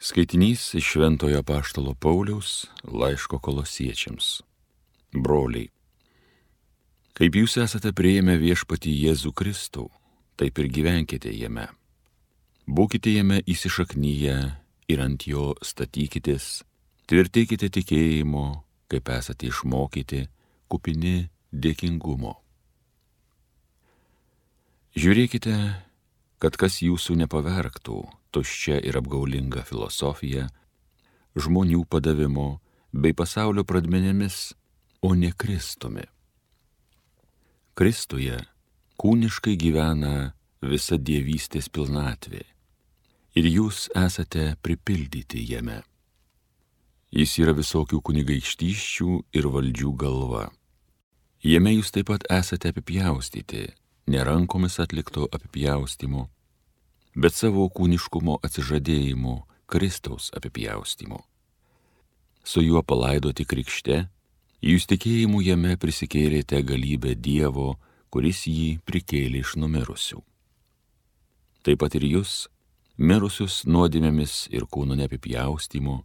Skaitinys iš Šventojo Apaštalo Pauliaus laiško Kolosiečiams. Broliai, kaip jūs esate priėmę viešpatį Jėzų Kristų, taip ir gyvenkite jame. Būkite jame įsišaknyję ir ant jo statykitės, tvirtykite tikėjimo, kaip esate išmokyti, kupini dėkingumo. Žiūrėkite, kad kas jūsų nepavergtų tuščia ir apgaulinga filosofija, žmonių padavimo bei pasaulio pradmenėmis, o ne Kristumi. Kristuje kūniškai gyvena visa dievystės pilnatvė ir jūs esate pripildyti jame. Jis yra visokių kunigaikštysčių ir valdžių galva. Jame jūs taip pat esate apipjaustyti, ne rankomis atlikto apipjaustymo, bet savo kūniškumo atsižadėjimu Kristaus apipjaustymu. Su juo palaidoti krikšte, jūs tikėjimu jame prisikėlėte galybę Dievo, kuris jį prikėlė iš numirusių. Taip pat ir jūs, mirusius nuodėmėmis ir kūno neapipjaustymu,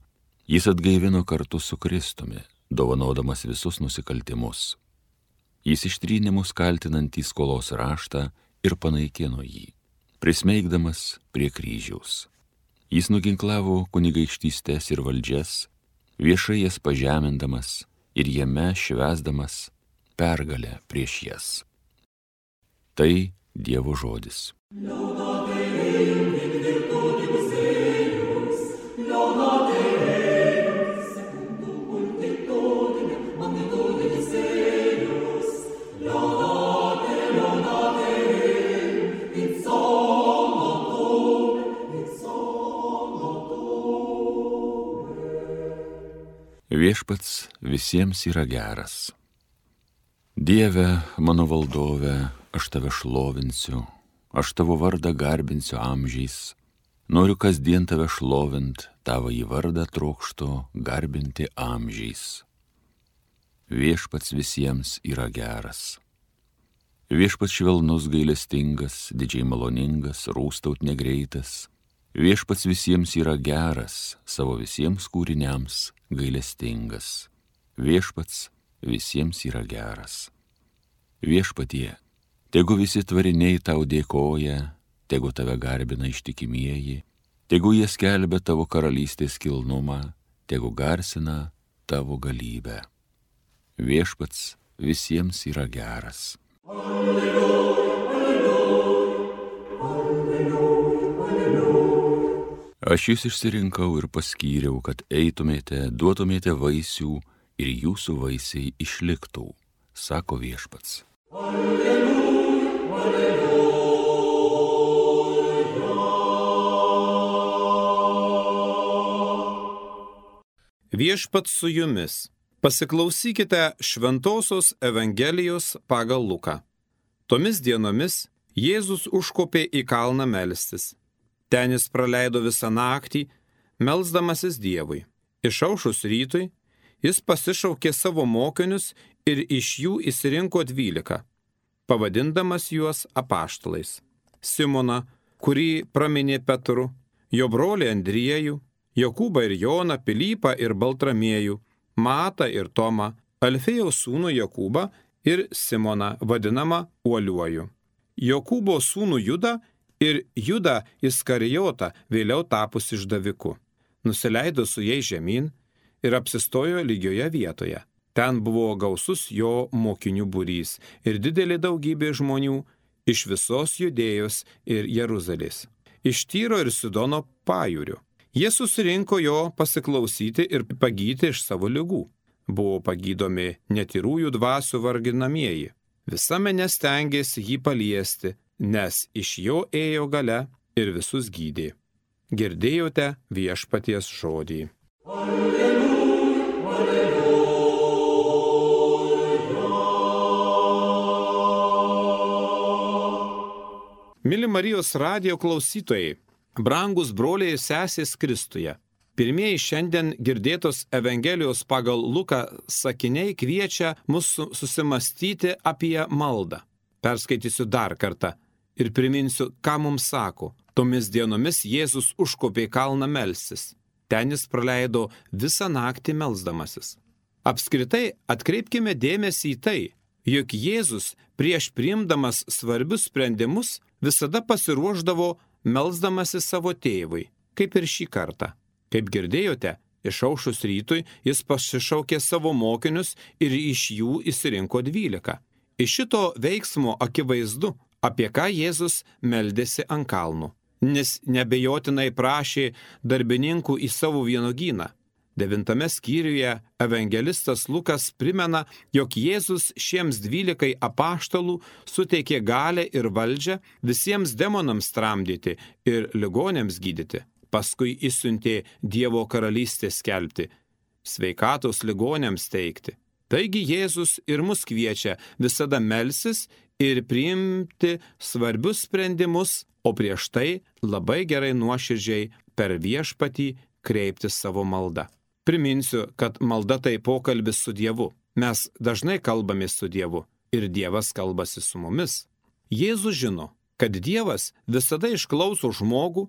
jis atgaivino kartu su Kristumi, dovanodamas visus nusikaltimus. Jis ištrynė mus kaltinantį skolos raštą ir panaikino jį, prismeigdamas prie kryžiaus. Jis nuginklavo kunigaikštystes ir valdžias, viešai jas pažemindamas ir jame švęsdamas pergalę prieš jas. Tai Dievo žodis. Viešpats visiems yra geras. Dieve, mano valdove, aš tave šlovinsiu, aš tavo vardą garbinsiu amžiais. Noriu kasdien tave šlovint, tavąjį vardą trokštu garbinti amžiais. Viešpats visiems yra geras. Viešpats švelnus gailestingas, didžiai maloningas, rūstaut negreitas. Viešpats visiems yra geras, savo visiems kūriniams gailestingas. Viešpats visiems yra geras. Viešpatie, tegu visi tvariniai tau dėkoja, tegu tave garbina ištikimieji, tegu jie skelbia tavo karalystės kilnumą, tegu garsina tavo galybę. Viešpats visiems yra geras. Alleluja, alleluja, alleluja, alleluja. Aš jūs išsirinkau ir paskyriau, kad eitumėte, duotumėte vaisių ir jūsų vaisiai išliktų, sako Viešpats. Alleluja, alleluja. Viešpats su jumis. Pasiklausykite Šventosios Evangelijos pagal Luką. Tomis dienomis Jėzus užkopė į kalną melstis. Ten jis praleido visą naktį, melsdamasis Dievui. Išaušus rytui, jis pasišaukė savo mokinius ir iš jų išsirinko 12, pavadindamas juos apaštalais. Simoną, kurį praminė Petru, jo brolį Andriejų, Jokūbą ir Joną, Pilypą ir Baltramiejų, Matą ir Tomą, Alfėjaus sūnų Jokūbą ir Simoną, vadinamą Uoliuoju, Jokūbo sūnų Judą ir Judą Iskarijotą, vėliau tapus išdaviku. Nusileido su jais žemyn ir apsistojo lygioje vietoje. Ten buvo gausus jo mokinių būrys ir didelė daugybė žmonių iš visos Judėjos ir Jeruzalės, iš Tyro ir Sidono pajūrių. Jie susirinko jo pasiklausyti ir pagydyti iš savo ligų. Buvo pagydomi netyrųjų dvasių varginamieji. Visa minia stengėsi jį paliesti, nes iš jo ėjo galia ir visus gydė. Girdėjote Viešpaties žodį. Alleluja, alleluja. Mili Marijos radijo klausytojai, brangus broliai ir sesės Kristuje. Pirmieji šiandien girdėtos Evangelijos pagal Luką sakiniai kviečia mus susimastyti apie maldą. Perskaitysiu dar kartą ir priminsiu, ką mums sako. Tomis dienomis Jėzus užkopė į kalną melstis. Ten jis praleido visą naktį melsdamasis. Apskritai atkreipkime dėmesį į tai, jog Jėzus prieš priimdamas svarbius sprendimus visada pasiruošdavo melsdamasis savo tėvui, kaip ir šį kartą. Kaip girdėjote, išaušus rytui jis pasišaukė savo mokinius ir iš jų išsirinko 12. Iš šito veiksmo akivaizdu, apie ką Jėzus meldėsi ant kalnų, nes nebejotinai prašė darbininkų į savo vynuogyną. 9 skyriuje evangelistas Lukas primena, jog Jėzus šiems 12 apaštalų suteikė galią ir valdžią visiems demonams tramdyti ir ligonėms gydyti. Paskui išsiuntė Dievo karalystę skelbti, sveikatos ligonėms teikti. Taigi Jėzus ir mus kviečia visada melsis ir priimti svarbius sprendimus, o prieš tai labai gerai nuoširdžiai per Viešpatį kreipti savo maldą. Priminsiu, kad malda tai pokalbis su Dievu. Mes dažnai kalbamės su Dievu ir Dievas kalbasi su mumis. Jėzus žino, kad Dievas visada išklauso žmogų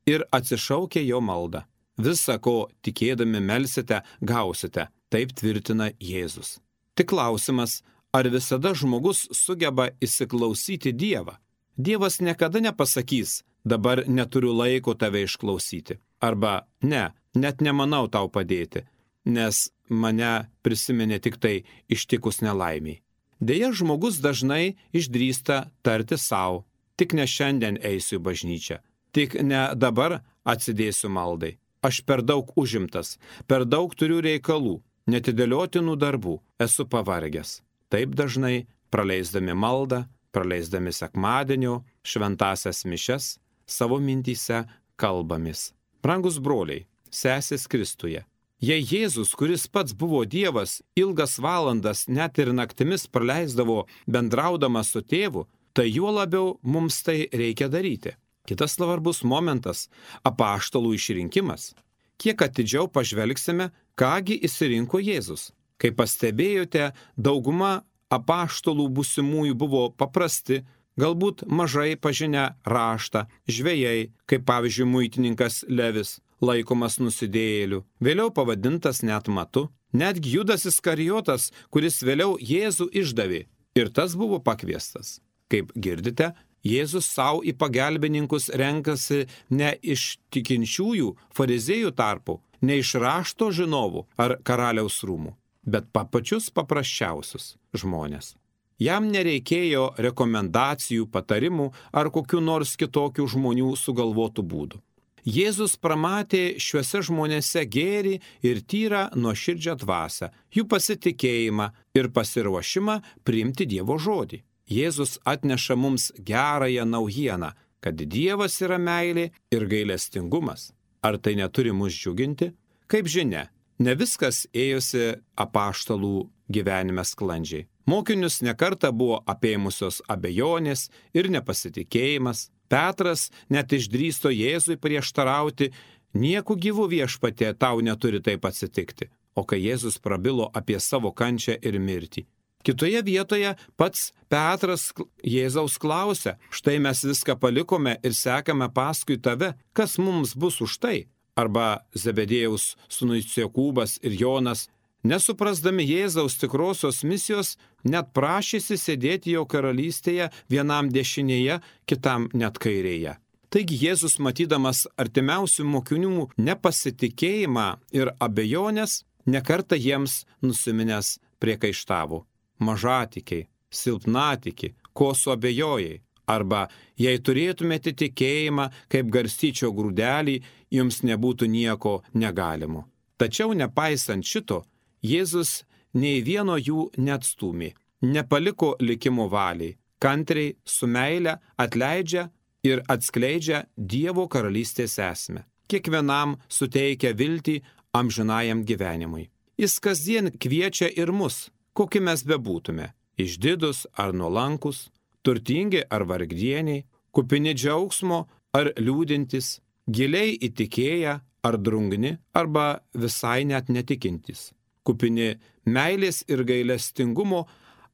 ir atsišaukia jo maldą. Visa, ko tikėdami melsite, gausite, taip tvirtina Jėzus. Tik klausimas, ar visada žmogus sugeba įsiklausyti Dievą? Dievas niekada nepasakys, dabar neturiu laiko tave išklausyti. Arba ne, net nemanau tau padėti, nes mane prisiminė tik tai ištikus nelaimiai. Deja, žmogus dažnai išdrįsta tarti savo, tik ne šiandien eisiu į bažnyčią, tik ne dabar atsidėsiu maldai. Aš per daug užimtas, per daug turiu reikalų, netidėliotinų darbų, esu pavargęs. Taip dažnai praleisdami maldą, praleisdami sekmadienio, šventasias mišias, savo mintyse kalbamės. Brangus broliai, sesės Kristuje, jei Jėzus, kuris pats buvo Dievas, ilgas valandas net ir naktimis praleisdavo bendraudamas su tėvu, tai juo labiau mums tai reikia daryti. Kitas svarbus momentas – apaštalų išrinkimas. Kiek atidžiau pažvelgsime, kągi išsirinko Jėzus. Kaip pastebėjote, dauguma apaštalų būsimųjų buvo paprasti, galbūt mažai pažinę raštą, žvejai, kaip pavyzdžiui muitininkas Levis, laikomas nusidėjėliu, vėliau pavadintas net Matu, netgi Judas Iskarijotas, kuris vėliau Jėzų išdavė, ir tas buvo pakviestas. Kaip girdite, Jėzus savo į pagalbininkus renkasi ne iš tikinčiųjų farizėjų tarpų, ne iš rašto žinovų ar karaliaus rūmų, bet pačius paprasčiausius žmonės. Jam nereikėjo rekomendacijų, patarimų ar kokių nors kitokių žmonių sugalvotų būdų. Jėzus pramatė šiuose žmonėse gėrį ir tyrą nuoširdžią dvasią, jų pasitikėjimą ir pasiruošimą priimti Dievo žodį. Jėzus atneša mums gerąją naujieną, kad Dievas yra meilė ir gailestingumas. Ar tai neturi mus džiuginti? Kaip žinia, ne viskas ėjosi apaštalų gyvenime sklandžiai. Mokinius nekartą buvo apėmusios abejonės ir nepasitikėjimas. Petras net išdrįsto Jėzui prieštarauti, nieku gyvu Viešpatie tau neturi taip atsitikti. O kai Jėzus prabilo apie savo kančią ir mirtį. Kitoje vietoje pats Petras Jėzaus klausia, štai mes viską palikome ir sekame paskui tave, kas mums bus už tai? Arba Zebedėjaus sūnus Jokūbas ir Jonas, nesuprasdami Jėzaus tikrosios misijos, net prašėsi sėdėti jo karalystėje vienam dešinėje, kitam net kairėje. Taigi Jėzus, matydamas artimiausių mokinių nepasitikėjimą ir abejonės, nekartą jiems nusiminęs priekaištavo. Mažatikiai, silpnatikiai, ko suabejojai. Arba, jei turėtumėte tikėjimą kaip garstyčio grūdelį, jums nebūtų nieko negalimo. Tačiau nepaisant šito, Jėzus nei vieno jų neatstūmė, nepaliko likimo valiai, kantriai su meile atleidžia ir atskleidžia Dievo karalystės esmę. Kiekvienam suteikia viltį amžinajam gyvenimui. Jis kasdien kviečia ir mus, kokie mes bebūtume, išdidus ar nuolankus, turtingi ar vargdieniai, kupini džiaugsmo ar liūdintys, giliai įtikėję ar drungni, arba visai net netikintis, kupini meilės ir gailestingumo,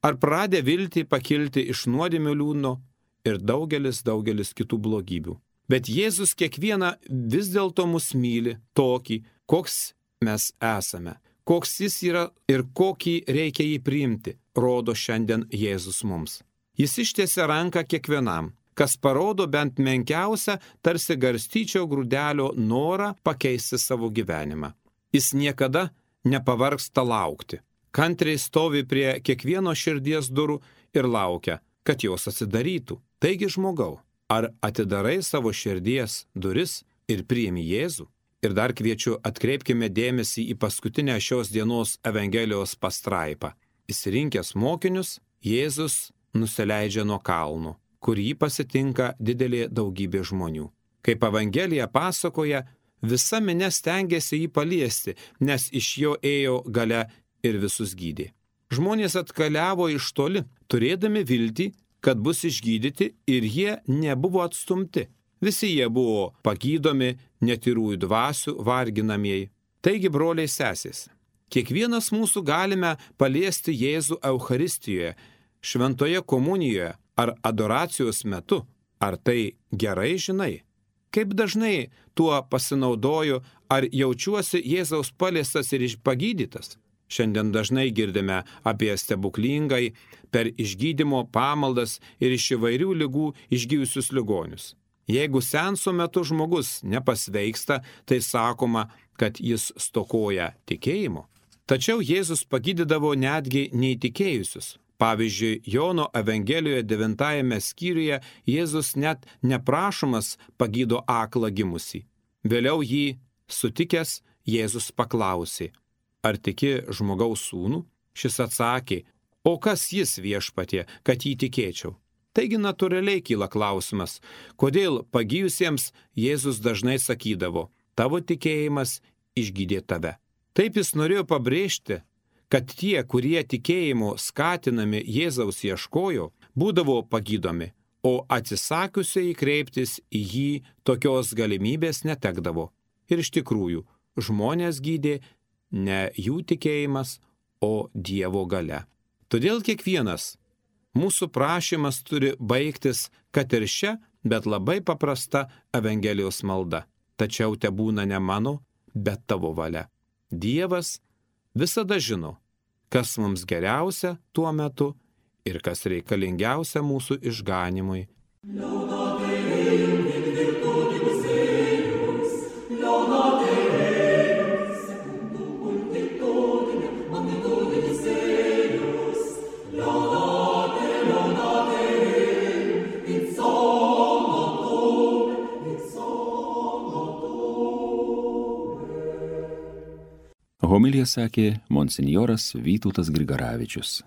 ar pradę viltį pakilti iš nuodėmių liūno ir daugelis kitų blogybių. Bet Jėzus kiekvieną vis dėlto mus myli tokį, koks mes esame, koks jis yra ir kokį reikia jį priimti, rodo šiandien Jėzus mums. Jis ištiesia ranką kiekvienam, kas parodo bent menkiausią, tarsi garstyčio grūdelio norą pakeisti savo gyvenimą. Jis niekada nepavargsta laukti. Kantriai stovi prie kiekvieno širdies durų ir laukia, kad jos atsidarytų. Taigi žmogau, ar atidarai savo širdies duris ir priimi Jėzų? Ir dar kviečiu, atkreipkime dėmesį į paskutinę šios dienos Evangelijos pastraipą. Išsirinkęs mokinius, Jėzus nusileidžia nuo kalnų, kur jį pasitinka didelė daugybė žmonių. Kaip Evangelija pasakoja, visa minia stengiasi jį paliesti, nes iš jo ėjo galia ir visus gydė. Žmonės atkeliavo iš toli, turėdami viltį, kad bus išgydyti, ir jie nebuvo atstumti. Visi jie buvo pagydomi netyrųjų dvasių varginamieji. Taigi, broliai sesės, kiekvienas mūsų galime paliesti Jėzų Eucharistijoje, šventoje komunijoje ar adoracijos metu. Ar tai gerai žinai? Kaip dažnai tuo pasinaudoju, ar jaučiuosi Jėzaus paliestas ir pagydytas? Šiandien dažnai girdime apie stebuklingai per išgydymo pamaldas ir iš įvairių ligų išgyjusius ligonius. Jeigu seanso metu žmogus nepasveiksta, tai sakoma, kad jis stokoja tikėjimo. Tačiau Jėzus pagydydavo netgi neįtikėjusius. Pavyzdžiui, Jono Evangelijoje 9 skyriuje Jėzus net neprašomas pagydo aklą gimusį. Vėliau jį sutikęs, Jėzus paklausė: ar tiki žmogaus sūnų? Šis atsakė: o kas jis, Viešpatie, kad jį tikėčiau? Taigi natūraliai kyla klausimas, kodėl pagijusiems Jėzus dažnai sakydavo: tavo tikėjimas išgydė tave. Taip jis norėjo pabrėžti, kad tie, kurie tikėjimo skatinami Jėzaus ieškojo, būdavo pagydomi, o atsisakiusiai kreiptis į jį tokios galimybės netekdavo. Ir iš tikrųjų, žmonės gydė ne jų tikėjimas, o Dievo galia. Todėl kiekvienas mūsų prašymas turi baigtis, kad ir šia, bet labai paprasta Evangelijos malda. Tačiau tebūna ne mano, bet tavo valia. Dievas visada žino, kas mums geriausia tuo metu ir kas reikalingiausia mūsų išganimui. Homiliją sakė monsinjoras Vytautas Grigaravičius.